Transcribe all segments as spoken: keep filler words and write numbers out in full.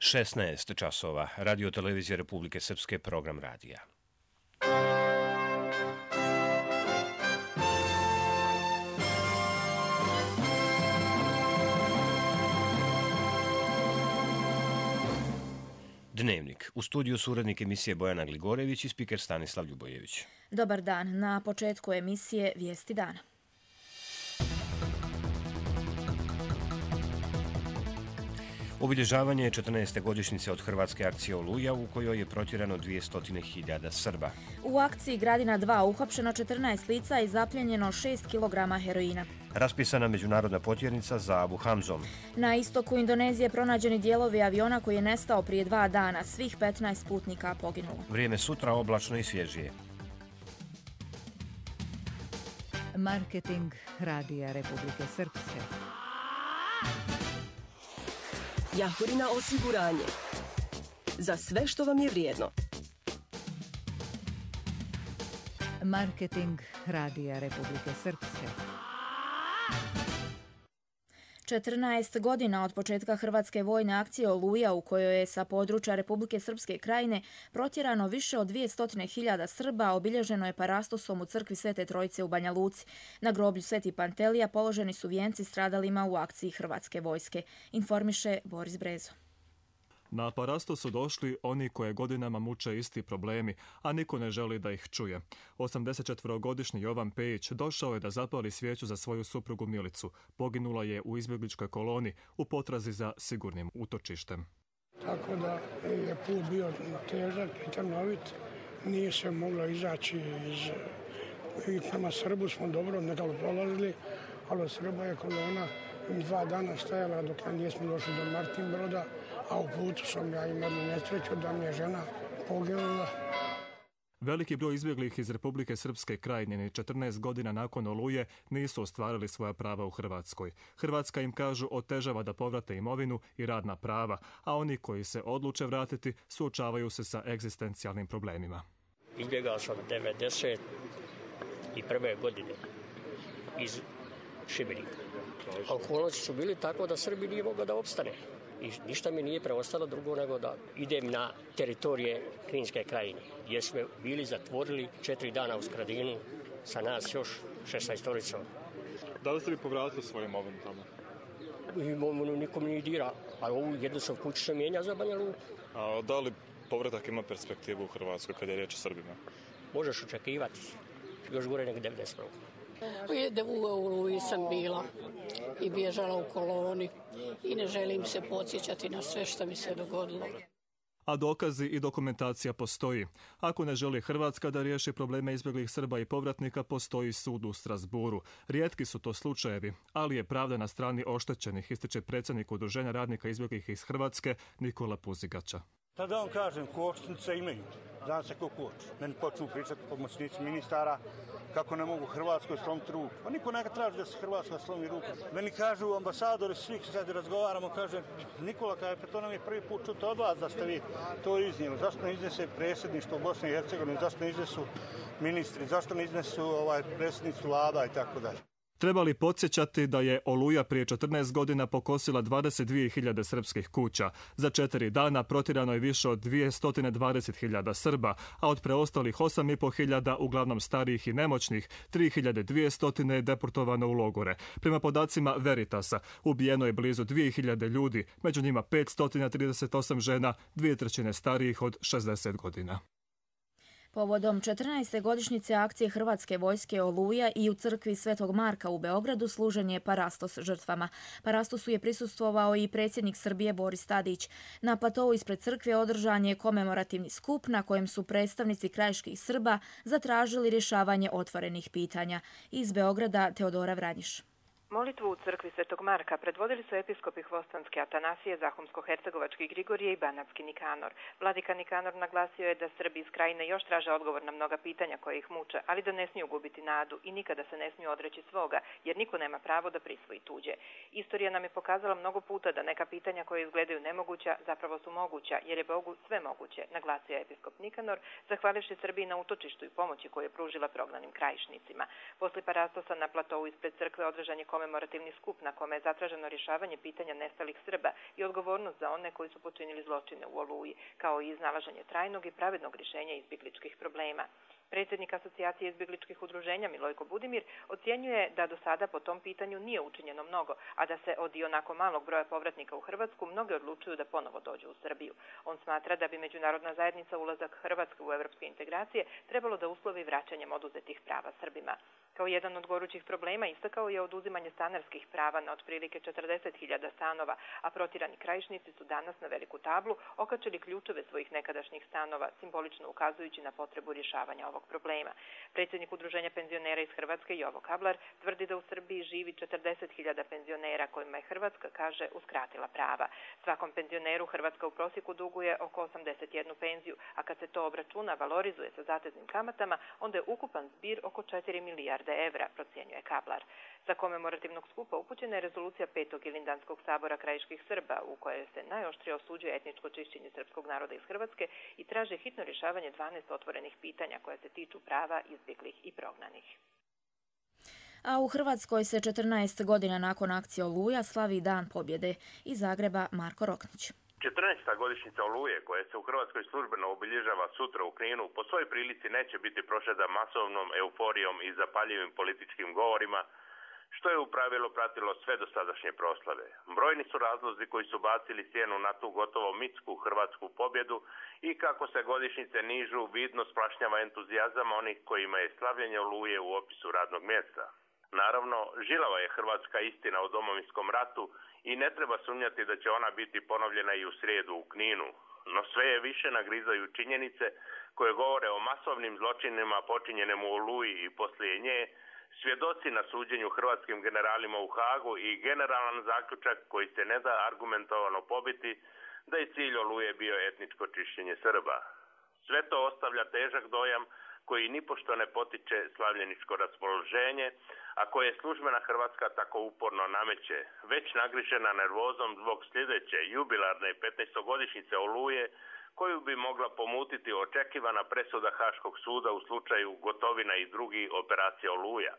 šesnaest časova. Radio Televizija Republike Srpske, program radija. Dnevnik. U studiju su urednik emisije Bojana Gligorević i spiker Stanislav Ljubojević. Dobar dan. Na početku emisije Vijesti dana. Obilježavanje četrnaeste godišnjice od hrvatske akcije Oluja u kojoj je protjerano dvjesto hiljada Srba. U akciji Gradina dva uhapšeno četrnaest lica i zapljenjeno šest kilograma heroina. Raspisana međunarodna potjernica za Abu Hamzom. Na istoku Indonezije pronađeni dijelovi aviona koji je nestao prije dva dana. Svih petnaest putnika poginulo. Vrijeme sutra oblačno i svježije. Marketing Radija Republike Srpske. Jahorina osiguranje. Za sve što vam je vrijedno. Marketing Radija Republike Srpske. četrnaest godina od početka hrvatske vojne akcije Oluja u kojoj je sa područja Republike Srpske krajine protjerano više od dvjesto hiljada Srba, obilježeno je parastosom u crkvi Svete Trojice u Banja Luci. Na groblju Sveti Pantelija položeni su vijenci stradalima u akciji hrvatske vojske, informiše Boris Brezo. Na parasto su došli oni koje godinama muče isti problemi, a niko ne želi da ih čuje. osamdesetčetvorogodišnji Jovan Pejić došao je da zapali svijeću za svoju suprugu Milicu. Poginula je u izbjegličkoj koloni u potrazi za sigurnim utočištem. Tako da je put bio težak i trnovit. Nije se moglo izaći iz... I prema Srbu smo dobro nekako prolazili, ali od Srba je kolona dva dana stajala dok nismo došli do Martinbroda, a u putu sam ja imao nesreću da mi je žena poginula. Veliki broj izbjeglih iz Republike Srpske krajine četrnaest godina nakon Oluje nisu ostvarili svoja prava u Hrvatskoj. Hrvatska im, kažu, otežava da povrate imovinu i radna prava, a oni koji se odluče vratiti suočavaju se sa egzistencijalnim problemima. Izbjegao sam devedeset prve godine iz Šibenika. A okolnosti su bili tako da Srbi nije mogla da opstane. I ništa mi nije preostalo drugo nego da idem na teritorije Kninske krajine, gdje smo bili zatvorili četiri dana u Skradinu, sa nas još šesnaestorica. Da li ste vi povratili svoju imovinu tamo? Imovinu nikom nije dira, ali ovu jednu sam kuću se mijenja za Banja Luku. A da li povratak ima perspektivu u Hrvatskoj kada je riječ o Srbima? Možeš očekivati, još gore nego devedeset prvog. U Oluji sam bila i bježala u koloni i ne želim se podsjećati na sve što mi se dogodilo. A dokazi i dokumentacija postoji. Ako ne želi Hrvatska da riješi probleme izbjeglih Srba i povratnika, postoji sud u Strasburu. Rijetki su to slučajevi, ali je pravda na strani oštećenih, ističe predsjednik Udruženja radnika izbjeglih iz Hrvatske Nikola Puzigača. Tada vam kažem, kočnice imaju. Zna se ko koč. Meni počnu pričati pomoćnici ministara kako ne mogu Hrvatskoj slomiti ruku. Pa niko neka traži da se Hrvatska slomi ruku. Meni kažu ambasadori, svih sad razgovaramo, kaže Nikola, kaže, pa to nam je prvi put čuti od vas da ste vi to iznijeli. Zašto ne iznese predsjedništvo Bosne i Hercegovine, zašto ne iznesu ministri, zašto ne iznesu ovaj, predsjednicu vlada i tako dalje. Treba li podsjećati da je Oluja prije četrnaest godina pokosila dvadeset dvije hiljade srpskih kuća. Za četiri dana protjerano je više od dvjesto dvadeset hiljada Srba, a od preostalih osam i pol hiljada, uglavnom starijih i nemoćnih, tri hiljade dvjesto je deportovano u logore. Prema podacima Veritasa, ubijeno je blizu dvije hiljade ljudi, među njima petsto trideset osam žena, dvije trećine starijih od šezdeset godina. Povodom četrnaeste godišnjice akcije hrvatske vojske Oluja i u crkvi Svetog Marka u Beogradu služen je parastos žrtvama. Parastosu je prisustvovao i predsjednik Srbije Boris Tadić. Na platovu ispred crkve održan je komemorativni skup na kojem su predstavnici krajiških Srba zatražili rješavanje otvorenih pitanja. Iz Beograda Teodora Vranjiš. Molitvu u crkvi Svetog Marka predvodili su episkopi Hvostanske Atanasije, Zahumsko-Hercegovački Grigorije i Banatski Nikanor. Vladika Nikanor naglasio je da Srbi iz krajine još traže odgovor na mnoga pitanja koje ih muče, ali da ne smiju gubiti nadu i nikada se ne smiju odreći svoga, jer niko nema pravo da prisvoji tuđe. Istorija nam je pokazala mnogo puta da neka pitanja koje izgledaju nemoguća zapravo su moguća, jer je Bogu sve moguće, naglasio je episkop Nikanor, zahvalivši Srbiji na utočištu i pomoći koju je pružila prognanim krajišnicima. Posle parastosa na platovu ispred crkve održan je komemorativni skup na kome je zatraženo rješavanje pitanja nestalih Srba i odgovornost za one koji su počinili zločine u Oluji, kao i iznalaženje trajnog i pravednog rješenja izbjegličkih problema. Predsjednik Asocijacije izbjegličkih udruženja Milojko Budimir ocjenjuje da do sada po tom pitanju nije učinjeno mnogo, a da se od ionako malog broja povratnika u Hrvatsku mnoge odlučuju da ponovo dođu u Srbiju. On smatra da bi međunarodna zajednica ulazak Hrvatske u evropske integracije trebalo da uslovi vraćanjem oduzetih prava Srbima. Kao jedan od gorućih problema istakao je oduzimanje stanarskih prava na otprilike četrdeset hiljada stanova, a protirani krajišnici su danas na veliku tablu okačili ključeve svojih nekadašnjih stanova, simbolično ukazujući na potrebu rješavanja ovog problema. Predsjednik Udruženja penzionera iz Hrvatske Jovo Kablar tvrdi da u Srbiji živi četrdeset hiljada penzionera kojima je Hrvatska, kaže, uskratila prava. Svakom penzioneru Hrvatska u prosjeku duguje oko osamdeset jednu penziju, a kad se to obračuna, valorizuje sa zateznim kamatama, onda je ukupan zbir oko četiri milijarde evra, procjenjuje Kablar. Za komemorativnog skupa upućena je rezolucija petog Ilindanskog sabora krajiških Srba, u kojoj se najoštrije osuđuje etničko čišćenje srpskog naroda iz Hrvatske i traže hitno rješavanje dvanaest otvorenih pitanja koja se tiču prava izbjeglih i prognanih. A u Hrvatskoj se četrnaest godina nakon akcije Oluja slavi Dan pobjede. Iz Zagreba Marko Roknić. četrnaesta godišnjica Oluje, koja se u Hrvatskoj službeno obilježava sutra u Kninu, po svojoj prilici neće biti prošeta masovnom euforijom i zapaljivim političkim govorima, što je u pravilu pratilo sve dosadašnje proslave. Brojni su razlozi koji su bacili sjenu na tu gotovo mitsku hrvatsku pobjedu i kako se godišnjice nižu, vidno splašnjava entuzijazam onih kojima je slavljenje Oluje u opisu radnog mjesta. Naravno, žilava je hrvatska istina o Domovinskom ratu i ne treba sumnjati da će ona biti ponovljena i u srijedu u Kninu. No sve je više nagrizaju činjenice koje govore o masovnim zločinima počinjenim u Oluji i poslije nje, svjedoci na suđenju hrvatskim generalima u Hagu i generalan zaključak koji se ne da argumentovano pobiti da je cilj Oluje bio etničko čišćenje Srba. Sve to ostavlja težak dojam koji nipošto ne potiče slavljeničko raspoloženje, a koje službena Hrvatska tako uporno nameće, već nagrižena nervozom zbog sljedeće jubilarne petnaestogodišnjice Oluje, koju bi mogla pomutiti očekivana presuda Haškog suda u slučaju Gotovina i drugi operacija Oluja.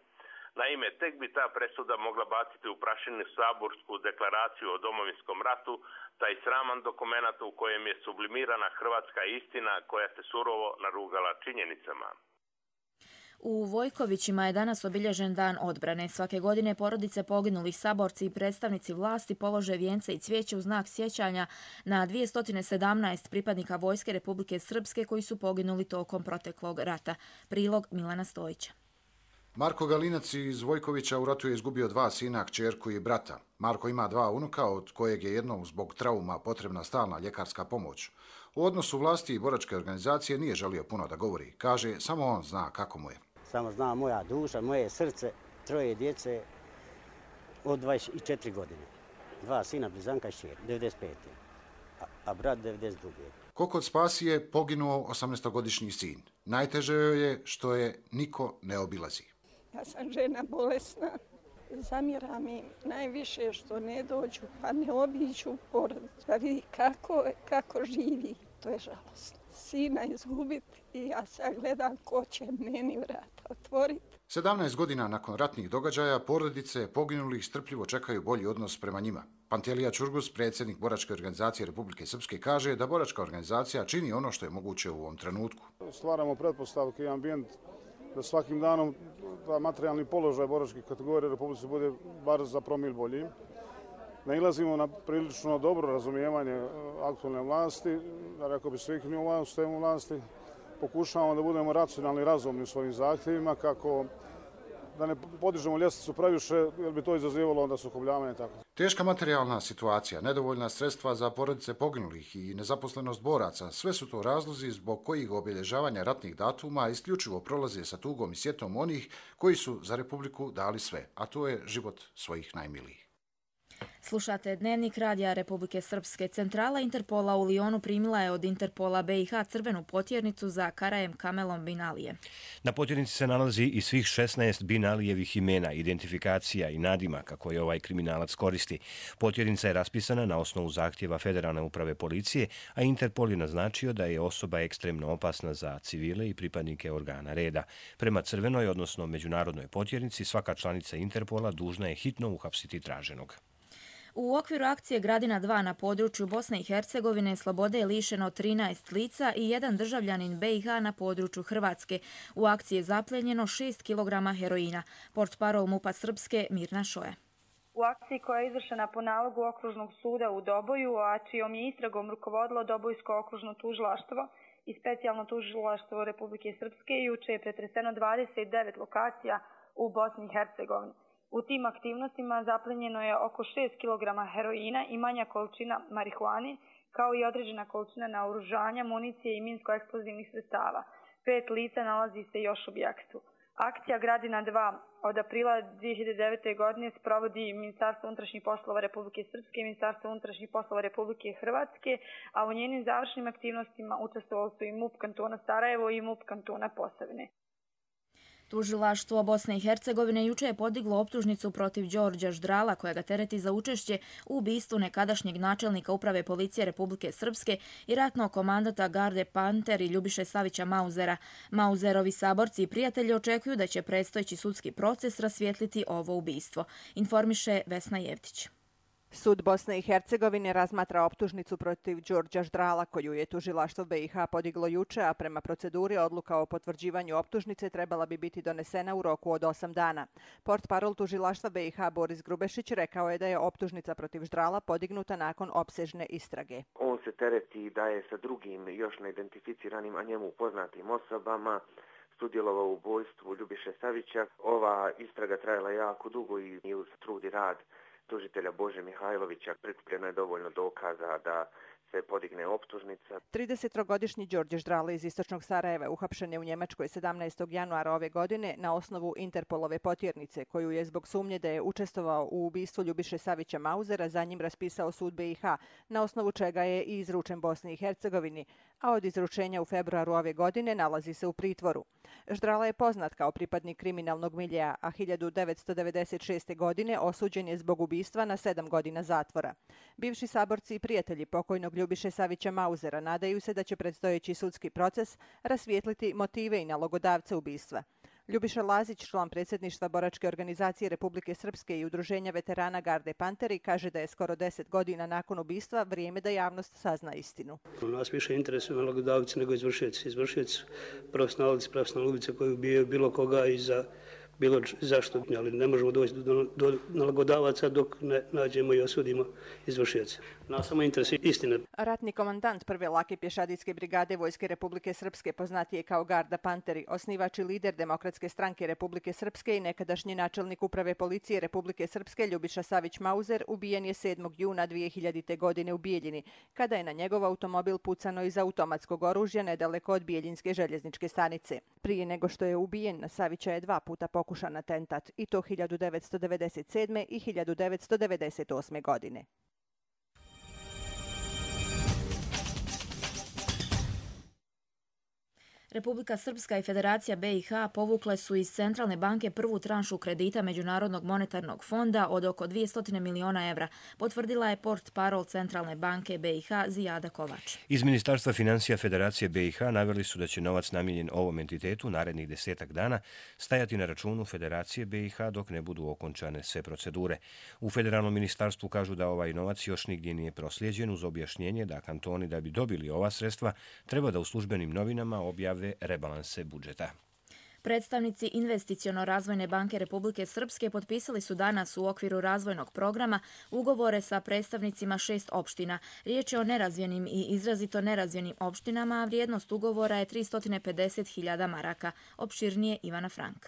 Naime, tek bi ta presuda mogla baciti u prašinu saborsku deklaraciju o Domovinskom ratu, taj sraman dokumenat u kojem je sublimirana hrvatska istina koja se surovo narugala činjenicama. U Vojkovićima je danas obilježen Dan odbrane. Svake godine porodice poginulih saborci i predstavnici vlasti polože vijence i cvijeće u znak sjećanja na dvjesto sedamnaest pripadnika Vojske Republike Srpske koji su poginuli tokom proteklog rata. Prilog Milana Stojića. Marko Galinac iz Vojkovića u ratu je izgubio dva sina, kćerku i brata. Marko ima dva unuka, od kojeg je jednom zbog trauma potrebna stalna ljekarska pomoć. U odnosu vlasti i boračke organizacije nije želio puno da govori. Kaže, samo on zna kako mu je. Samo zna moja duša, moje srce, troje djece od dvadeset četiri godine. Dva sina, blizanka i šćer, devedeset pete. A, a brat devedeset druge. Ko kod Spasi je poginuo osamnaestogodišnji sin. Najteže joj je što je niko ne obilazi. Ja sam žena bolesna. Zamjera mi najviše što ne dođu, pa ne obiđu porodicu. Pa vidi kako, kako živi. To je žalostno. Sina izgubiti i ja sad gledam ko će meni vrata otvoriti. sedamnaest godina nakon ratnih događaja porodice poginulih strpljivo čekaju bolji odnos prema njima. Pantelija Čurgus, predsjednik Boračke organizacije Republike Srpske, kaže da Boračka organizacija čini ono što je moguće u ovom trenutku. Stvaramo pretpostavke i ambijent da svakim danom da materijalni položaj boračkih kategorija Republike bude bar za promil bolji. Nailazimo na prilično dobro razumijevanje aktualne vlasti, rekao bi svih nivoa u sistemu vlasti. Pokušavamo da budemo racionalni i razumni u svojim zahtjevima, kako da ne podižemo ljestvicu previše, jer bi to izazivalo onda sukobljavanje. Tako. Teška materijalna situacija, nedovoljna sredstva za porodice poginulih i nezaposlenost boraca, sve su to razlozi zbog kojih obilježavanja ratnih datuma isključivo prolaze sa tugom i sjetom onih koji su za Republiku dali sve, a to je život svojih najmilijih. Slušate Dnevnik radija Republike Srpske. Centrala Interpola u Lijonu primila je od Interpola B i H crvenu potjernicu za Karajem Kamelom Bin Alije. Na potjernici se nalazi i svih šesnaest Bin Alijevih imena, identifikacija i nadimaka koje ovaj kriminalac koristi. Potjernica je raspisana na osnovu zahtjeva Federalne uprave policije, a Interpol je naznačio da je osoba ekstremno opasna za civile i pripadnike organa reda. Prema crvenoj, odnosno međunarodnoj potjernici, svaka članica Interpola dužna je hitno uhapsiti traženog. U okviru akcije Gradina dva na području Bosne i Hercegovine slobode je lišeno trinaest lica i jedan državljanin B i H na području Hrvatske. U akciji je zapljenjeno šest kilograma heroina. Portparol MUP-a Srpske Mirna Šoja. U akciji koja je izvršena po nalogu Okružnog suda u Doboju, a čijom je istragom rukovodilo Dobojsko okružno tužilaštvo i specijalno tužilaštvo Republike Srpske, juče je pretreseno dvadeset devet lokacija u Bosni i Hercegovini. U tim aktivnostima zaplenjeno je oko šest kilograma heroina i manja količina marihuane, kao i određena količina naoružanja, municije i minsko-eksplozivnih sredstava. Pet lica nalazi se još u objektu. Akcija Gradina dva od aprila dvije hiljade devete. godine sprovodi Ministarstvo unutrašnjih poslova Republike Srpske i Ministarstvo unutrašnjih poslova Republike Hrvatske, a u njenim završnim aktivnostima učestvovali su i MUP kantona Sarajevo i MUP kantona Posavine. Tužilaštvo Bosne i Hercegovine juče je podiglo optužnicu protiv Đorđa Ždrala, koja ga tereti za učešće u ubistvu nekadašnjeg načelnika Uprave policije Republike Srpske i ratnog komandata Garde Panter i Ljubiše Savića Mauzera. Mauzerovi saborci i prijatelji očekuju da će predstojeći sudski proces rasvijetliti ovo ubistvo, informiše Vesna Jevtić. Sud Bosne i Hercegovine razmatra optužnicu protiv Đorđa Ždrala, koju je tužilaštvo B i H podiglo juče, a prema proceduri odluka o potvrđivanju optužnice trebala bi biti donesena u roku od osam dana. Portparol tužilaštva B i H Boris Grubešić rekao je da je optužnica protiv Ždrala podignuta nakon opsežne istrage. On se tereti da je sa drugim još neidentificiranim, a njemu poznatim osobama sudjelovao u ubojstvu Ljubiše Savića. Ova istraga trajala jako dugo i uz trud i rad tužitelja Bože Mihajlovića prikupljeno je dovoljno dokaza da se podigne optužnica. tridesettrogodišnji Đorđe Ždrala iz istočnog Sarajeva uhapšen je u Njemačkoj sedamnaestog januara ove godine na osnovu Interpolove potjernice, koju je zbog sumnje da je učestvovao u ubistvu Ljubiše Savića Mauzera za njim raspisao sud B i H, na osnovu čega je i izručen Bosni i Hercegovini, a od izručenja u februaru ove godine nalazi se u pritvoru. Ždrala je poznat kao pripadnik kriminalnog miljeja, a hiljadu devetsto devedeset šeste. godine osuđen je zbog ubistva na sedam godina zatvora. Bivši saborci i prijatelji pokojnog Ljubiše Savića Mauzera nadaju se da će predstojeći sudski proces rasvijetliti motive i nalogodavce ubistva. Ljubiša Lazić, član predsjedništva Boračke organizacije Republike Srpske i Udruženja veterana Garde Panteri, kaže da je skoro deset godina nakon ubistva vrijeme da javnost sazna istinu. Nas više interesuju nalogodavci nego izvršioci. Izvršioci profesionalci, profesionalni ubice koji ubijaju bilo koga i za bilo zašto, ali ne možemo doći do, do nalogodavaca dok ne nađemo i osudimo izvršioce. Nas samo interesuje istina. Ratni komandant prve lake pješadijske brigade Vojske Republike Srpske, poznatije kao Garda Panteri, osnivač i lider Demokratske stranke Republike Srpske i nekadašnji načelnik Uprave policije Republike Srpske Ljubiša Savić Mauzer, ubijen je sedmog juna dvije hiljadite. godine u Bijeljini, kada je na njegov automobil pucano iz automatskog oružja nedaleko od Bijeljinske željezničke stanice. Prije nego što je ubijen, na Savića je dva puta pokušan atentat, i to hiljadu devetsto devedeset sedme. i hiljadu devetsto devedeset osme. godine. Republika Srpska i Federacija B i H povukle su iz Centralne banke prvu tranšu kredita Međunarodnog monetarnog fonda od oko dvjesto miliona evra, potvrdila je portparol Centralne banke B i H Zijada Kovač. Iz Ministarstva financija Federacije B i H naveli su da će novac namijenjen ovom entitetu narednih desetak dana stajati na računu Federacije B i H dok ne budu okončane sve procedure. U Federalnom ministarstvu kažu da ovaj novac još nigdje nije proslijeđen, uz objašnjenje da kantoni da bi dobili ova sredstva treba da u službenim novinama objave rebalanse budžeta. Predstavnici Investiciono-razvojne banke Republike Srpske potpisali su danas u okviru razvojnog programa ugovore sa predstavnicima šest opština. Riječ je o nerazvijenim i izrazito nerazvijenim opštinama, a vrijednost ugovora je tristo pedeset hiljada maraka. Opširnije Ivana Frank.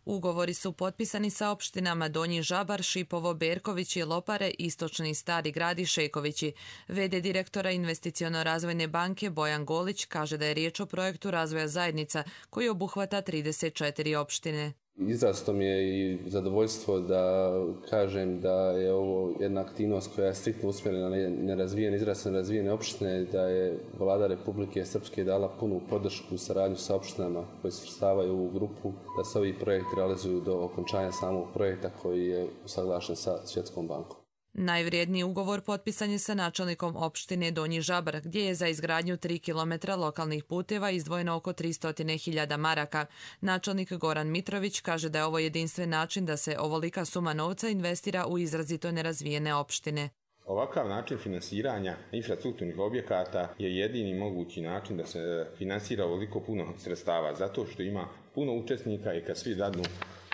Ugovori su potpisani sa opštinama Donji Žabar, Šipovo, Berkovići, Lopare, Istočni Stari Grad i Šekovići. V D direktora Investiciono-razvojne banke Bojan Golić kaže da je riječ o projektu razvoja zajednica koji obuhvata trideset četiri opštine. Izrazito mi je i zadovoljstvo da kažem da je ovo jedna aktivnost koja je striktno usmjerena na nerazvijene, izrazito nerazvijene opštine, da je Vlada Republike Srpske dala punu podršku u saradnju sa opštinama koje se svrstavaju u grupu, da se ovi projekti realizuju do okončanja samog projekta koji je usaglašen sa Svjetskom bankom. Najvrijedniji ugovor potpisan je sa načelnikom opštine Donji Žabar, gdje je za izgradnju tri kilometra lokalnih puteva izdvojeno oko tristo hiljada maraka. Načelnik Goran Mitrović kaže da je ovo jedinstven način da se ovolika suma novca investira u izrazito nerazvijene opštine. Ovakav način finansiranja infrastrukturnih objekata je jedini mogući način da se finansira ovoliko puno sredstava, zato što ima puno učesnika i kad svi dadnu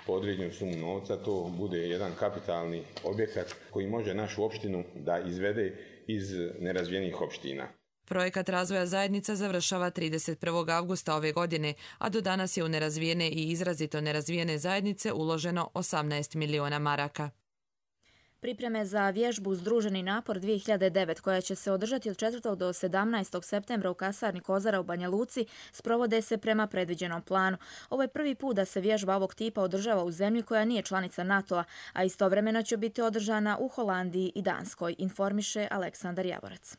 po određenu sumu novca, to bude jedan kapitalni objekat koji može našu opštinu da izvede iz nerazvijenih opština. Projekat razvoja zajednica završava trideset prvog avgusta ove godine, a do danas je u nerazvijene i izrazito nerazvijene zajednice uloženo osamnaest miliona maraka. Pripreme za vježbu Združeni napor dvije hiljade devet, koja će se održati od četvrtog do sedamnaestog septembra u kasarni Kozara u Banja Luci, sprovode se prema predviđenom planu. Ovo je prvi put da se vježba ovog tipa održava u zemlji koja nije članica NATO-a, a istovremeno će biti održana u Holandiji i Danskoj, informiše Aleksandar Javorac.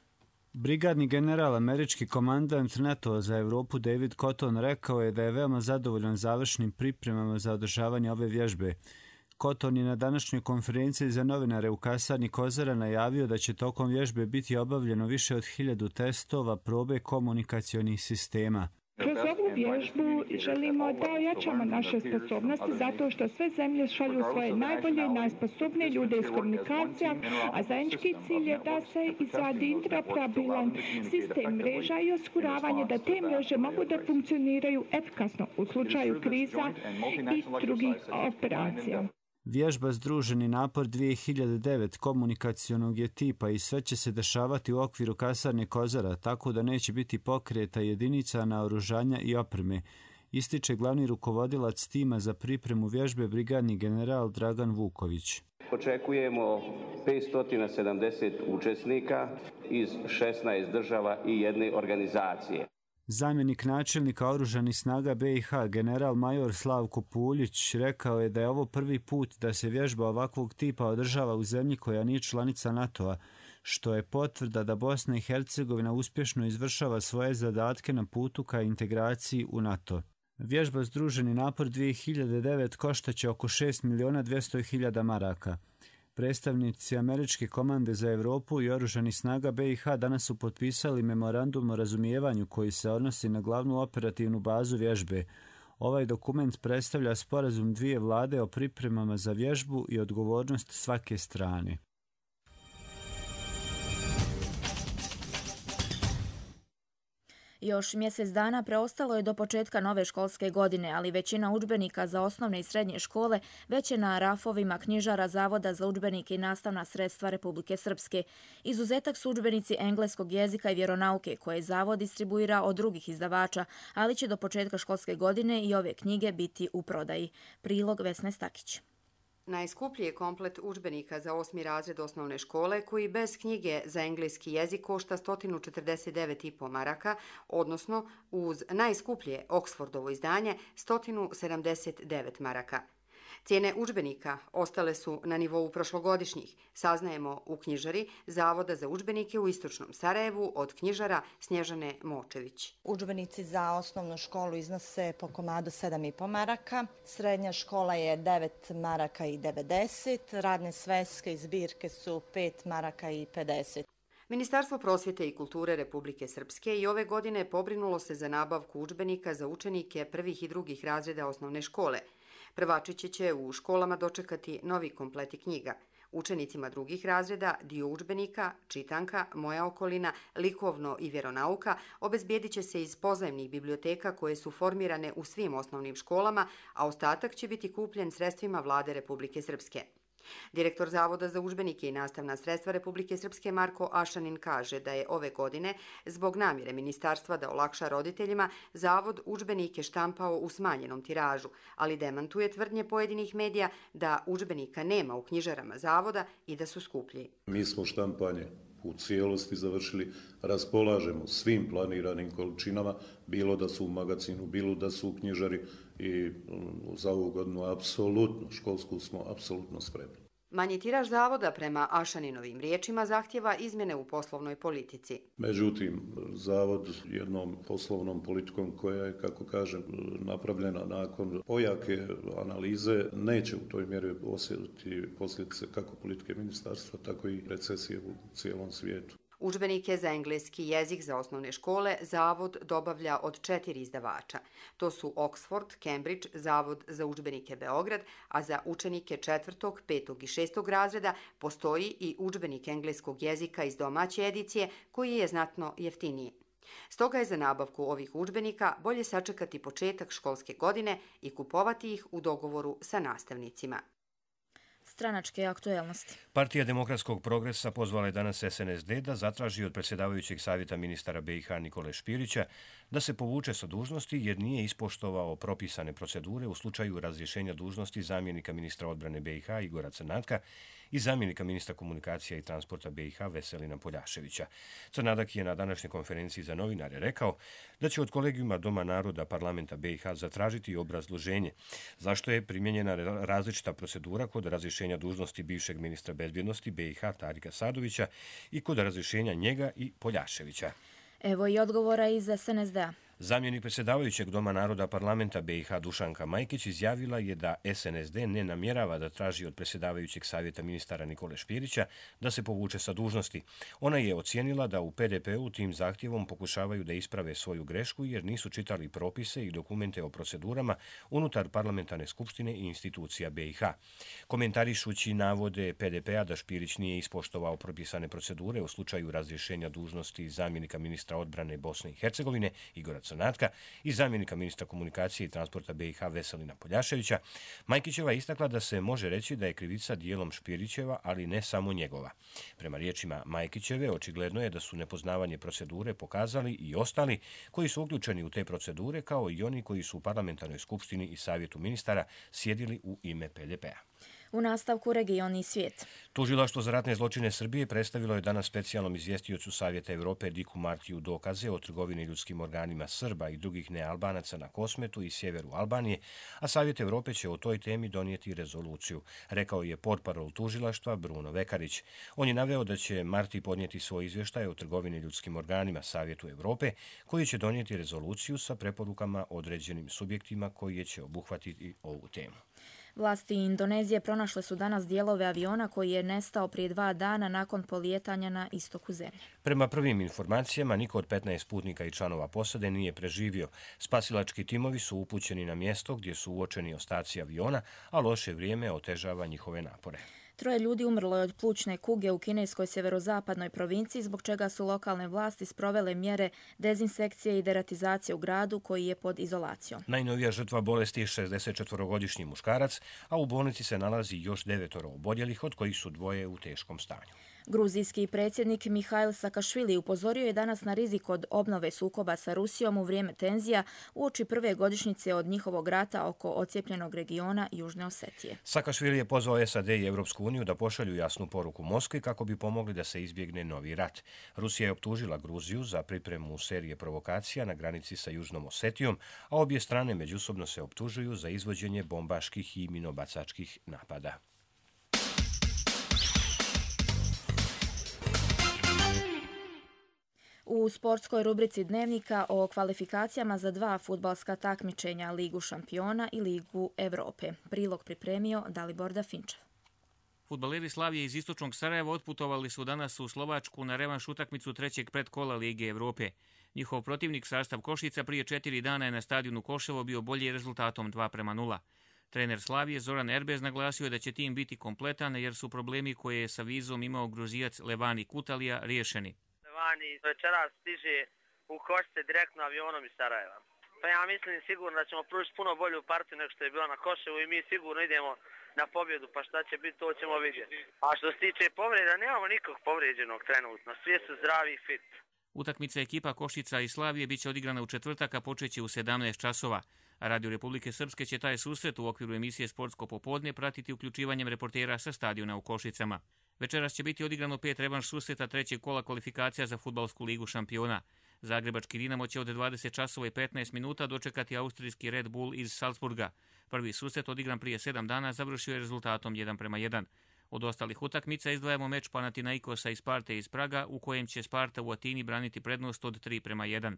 Brigadni general, američki komandant NATO za Europu David Cotton rekao je da je veoma zadovoljan završnim pripremama za održavanje ove vježbe. Cotton je na današnjoj konferenciji za novinare u kasarni Kozara najavio da će tokom vježbe biti obavljeno više od hiljadu testova probe komunikacionih sistema. Kroz ovu vježbu želimo da ojačamo naše sposobnosti zato što sve zemlje šalju svoje najbolje i najsposobnije ljude iz komunikacija, a zajednički cilj je da se izradi interoperabilan sistem mreža i osiguravanje da te mreže mogu da funkcioniraju efikasno u slučaju kriza i drugih operacija. Vježba Združeni napor dvije hiljade devet komunikacionog je tipa i sve će se dešavati u okviru kasarne Kozara, tako da neće biti pokreta jedinica, naoružanja i opreme, ističe glavni rukovodilac tima za pripremu vježbe brigadni general Dragan Vuković. Očekujemo petsto sedamdeset učesnika iz šesnaest država i jedne organizacije. Zamjenik načelnika oružanih snaga B i H, general major Slavko Puljić, rekao je da je ovo prvi put da se vježba ovakvog tipa održava u zemlji koja nije članica NATO-a, što je potvrda da Bosna i Hercegovina uspješno izvršava svoje zadatke na putu ka integraciji u NATO. Vježba Združeni napor dvije hiljade devet koštaće oko šest miliona dvjesto hiljada maraka. Predstavnici američke komande za Europu i oružanih snaga B i H danas su potpisali memorandum o razumijevanju koji se odnosi na glavnu operativnu bazu vježbe. Ovaj dokument predstavlja sporazum dvije vlade o pripremama za vježbu i odgovornost svake strane. Još mjesec dana preostalo je do početka nove školske godine, ali većina udžbenika za osnovne i srednje škole već je na rafovima knjižara Zavoda za udžbenike i nastavna sredstva Republike Srpske. Izuzetak su udžbenici engleskog jezika i vjeronauke koje Zavod distribuira od drugih izdavača, ali će do početka školske godine i ove knjige biti u prodaji. Prilog Vesne Stakić. Najskuplji je komplet udžbenika za osmi razred osnovne škole koji bez knjige za engleski jezik košta sto četrdeset devet i po maraka, odnosno uz najskuplje Oxfordovo izdanje sto sedamdeset devet maraka. Cijene udžbenika ostale su na nivou prošlogodišnjih, saznajemo u knjižari Zavoda za udžbenike u Istočnom Sarajevu od knjižara Snježane Močević. Udžbenici za osnovnu školu iznose po komadu sedam i po maraka, srednja škola je devet maraka i devedeset, radne sveske i zbirke su pet maraka i pedeset. Ministarstvo prosvjete i kulture Republike Srpske i ove godine pobrinulo se za nabavku udžbenika za učenike prvih i drugih razreda osnovne škole. Prvačići će u školama dočekati novi kompleti knjiga. Učenicima drugih razreda dio udžbenika, čitanka, moja okolina, likovno i vjeronauka obezbijedit će se iz pozajmnih biblioteka koje su formirane u svim osnovnim školama, a ostatak će biti kupljen sredstvima Vlade Republike Srpske. Direktor Zavoda za udžbenike i nastavna sredstva Republike Srpske Marko Ašanin kaže da je ove godine, zbog namjere ministarstva da olakša roditeljima, Zavod udžbenike štampao u smanjenom tiražu, ali demantuje tvrdnje pojedinih medija da udžbenika nema u knjižarama Zavoda i da su skuplji. Mi smo štampanje u cijelosti završili, raspolažemo svim planiranim količinama, bilo da su u magazinu, bilo da su u knjižari i za ovu godinu apsolutno, školsku smo apsolutno spremni. Manji tiraž zavoda prema Ašaninovim riječima zahtjeva izmjene u poslovnoj politici. Međutim, zavod jednom poslovnom politikom koja je, kako kažem, napravljena nakon ojake analize, neće u toj mjeri osjetiti posljedice kako politike ministarstva, tako i recesije u cijelom svijetu. Udžbenike za engleski jezik za osnovne škole Zavod dobavlja od četiri izdavača. To su Oxford, Cambridge, Zavod za udžbenike Beograd, a za učenike četvrtog, petog i šestog razreda postoji i udžbenik engleskog jezika iz domaće edicije koji je znatno jeftiniji. Stoga je za nabavku ovih udžbenika bolje sačekati početak školske godine i kupovati ih u dogovoru sa nastavnicima. Stranačke aktuelnosti. Partija demokratskog progresa pozvala je danas S N S D da zatraži od predsjedavajućeg savjeta ministara B i H Nikole Špirića da se povuče sa dužnosti jer nije ispoštovao propisane procedure u slučaju razrješenja dužnosti zamjenika ministra odbrane B i H Igora Crnatka i zamjenika ministra komunikacija i transporta B i H Veselina Poljaševića. Crnadak je na današnjoj konferenciji za novinare rekao da će od kolegijuma Doma naroda parlamenta B i H zatražiti obrazloženje zašto je primijenjena različita procedura kod razrješenja dužnosti bivšeg ministra bezbjednosti B i H Tarika Sadovića i kod razrješenja njega i Poljaševića. Evo i odgovora iz S N S D-a. Zamjenik predsjedavajućeg Doma naroda parlamenta B i H Dušanka Majkić izjavila je da S N S D ne namjerava da traži od predsjedavajućeg savjeta ministara Nikole Špirića da se povuče sa dužnosti. Ona je ocijenila da u P D P-u tim zahtjevom pokušavaju da isprave svoju grešku jer nisu čitali propise i dokumente o procedurama unutar parlamentarne skupštine i institucija B i H. Komentarišući navode P D P-a da Špirić nije ispoštovao propisane procedure u slučaju razrješenja dužnosti zamjenika ministra odbrane Bosne i Hercegovine Igora Crnatka i zamjenika ministra komunikacije i transporta B i H Veselina Poljaševića, Majkićeva je istakla da se može reći da je krivica dijelom Špirićeva, ali ne samo njegova. Prema riječima Majkićeve, očigledno je da su nepoznavanje procedure pokazali i ostali koji su uključeni u te procedure, kao i oni koji su u parlamentarnoj skupštini i savjetu ministara sjedili u ime P D P-a. U nastavku region i svijet. Tužilaštvo za ratne zločine Srbije predstavilo je danas specijalnom izvjestiocu Savjeta Evrope Diku Martiju dokaze o trgovini ljudskim organima Srba i drugih nealbanaca na Kosmetu i sjeveru Albanije, a Savjet Evrope će o toj temi donijeti rezoluciju, rekao je portparol tužilaštva Bruno Vekarić. On je naveo da će Marti podnijeti svoj izvještaj o trgovini ljudskim organima Savjetu Evrope, koji će donijeti rezoluciju sa preporukama određenim subjektima koji će obuhvatiti ovu temu. Vlasti Indonezije pronašle su danas dijelove aviona koji je nestao prije dva dana nakon polijetanja na istoku zemlje. Prema prvim informacijama, niko od petnaest putnika i članova posade nije preživio. Spasilački timovi su upućeni na mjesto gdje su uočeni ostaci aviona, a loše vrijeme otežava njihove napore. Troje ljudi umrlo je od plućne kuge u kineskoj sjeverozapadnoj provinciji, zbog čega su lokalne vlasti sprovele mjere dezinsekcije i deratizacije u gradu koji je pod izolacijom. Najnovija žrtva bolesti je šezdesetčetvorogodišnji muškarac, a u bolnici se nalazi još devetoro oboljelih, od kojih su dvoje u teškom stanju. Gruzijski predsjednik Mihail Sakašvili upozorio je danas na rizik od obnove sukoba sa Rusijom u vrijeme tenzija uoči prve godišnjice od njihovog rata oko ocijepljenog regiona Južne Osetije. Sakašvili je pozvao S A D i Europsku uniju da pošalju jasnu poruku Moskvi kako bi pomogli da se izbjegne novi rat. Rusija je optužila Gruziju za pripremu serije provokacija na granici sa Južnom Osetijom, a obje strane međusobno se optužuju za izvođenje bombaških i minobacačkih napada. U sportskoj rubrici Dnevnika o kvalifikacijama za dva fudbalska takmičenja, Ligu šampiona i Ligu Evrope. Prilog pripremio Dalibor Dafinčev. Fudbaleri Slavije iz istočnog Sarajeva otputovali su danas u Slovačku na revanš utakmicu trećeg predkola Lige Evrope. Njihov protivnik, sastav Košica, prije četiri dana je na stadionu Koševo bio bolji rezultatom dva prema nula. Trener Slavije Zoran Erbez naglasio je da će tim biti kompletan jer su problemi koje je sa vizom imao Gruzijac Levani Kutalija riješeni. Levani večeras stiže u Košice direktno avionom iz Sarajeva. Pa ja mislim sigurno da ćemo pružiti puno bolju partiju nego što je bila na Koševu i mi sigurno idemo na pobjedu, pa šta će biti, to ćemo vidjeti. A što se tiče povreda, nemamo nikog povrijeđenog trenutno, svi su zdravi i fit. Utakmica ekipa Košica i Slavije biće odigrana u četvrtak, a počeće u sedamnaest časova. A Radio Republike Srpske će taj susret u okviru emisije Sportsko popodne pratiti uključivanjem reportera sa stadiona u Košicama. Večeras će biti odigrano pet revanš susreta trećeg kola kvalifikacija za fudbalsku ligu šampiona. Zagrebački Dinamo će od dvadeset časova i petnaest minuta dočekati austrijski Red Bull iz Salzburga. Prvi susret odigran prije sedam dana završio je rezultatom jedan prema jedan. Od ostalih utakmica izdvajamo meč Panathinaikosa i Sparte iz Praga, u kojem će Sparta u Atini braniti prednost od tri prema jedan.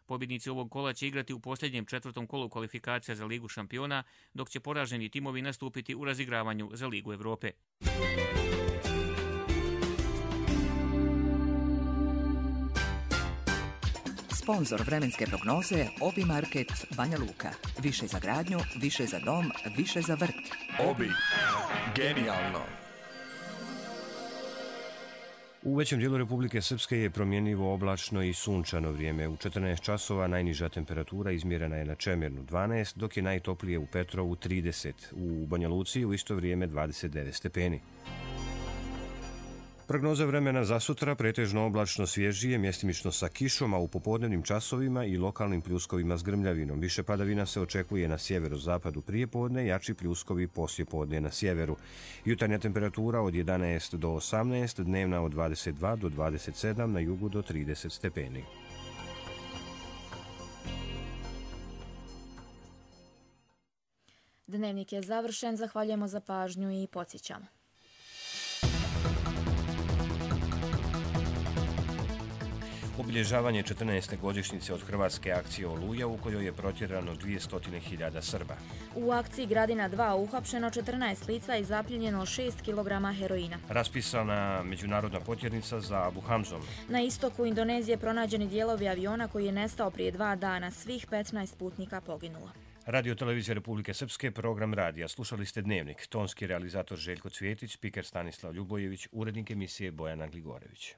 Pobjednici ovog kola će igrati u posljednjem četvrtom kolu kvalifikacija za Ligu šampiona, dok će poraženi timovi nastupiti u razigravanju za Ligu Evrope. Sponzor vremenske prognoze Obi Market Banja Luka. Više za gradnju, više za dom, više za vrt. Obi. Genijalno. U većem dijelu Republike Srpske je promjenjivo oblačno i sunčano vrijeme. U četrnaest časova najniža temperatura izmjerena je na Čemernu dvanaest, dok je najtoplije u Petrovu trideset. U Banja Luci u isto vrijeme dvadeset devet stepeni. Prognoza vremena za sutra pretežno oblačno svježije, mjestimično sa kišom, a u popodnevnim časovima i lokalnim pljuskovima s grmljavinom. Više padavina se očekuje na sjeverozapadu prije podne, jači pljuskovi poslije podne na sjeveru. Jutarnja temperatura od jedanaest do osamnaest, dnevna od dvadeset dva do dvadeset sedam, na jugu do trideset stepeni. Dnevnik je završen, zahvaljujemo za pažnju i podsjećamo. Obilježavanje četrnaeste godišnjice od hrvatske akcije Oluja, u kojoj je protjerano dvjesto hiljada Srba. U akciji Gradina dva uhapšeno četrnaest lica i zapljenjeno šest kilograma heroina. Raspisana međunarodna potjernica za Abu Hamzom. Na istoku Indonezije pronađeni dijelovi aviona koji je nestao prije dva dana. Svih petnaest putnika poginulo. Radio Televizija Republike Srpske, program radija. Slušali ste Dnevnik. Tonski realizator Željko Cvjetić, spiker Stanislav Ljubojević, urednik emisije Bojana Gligorević.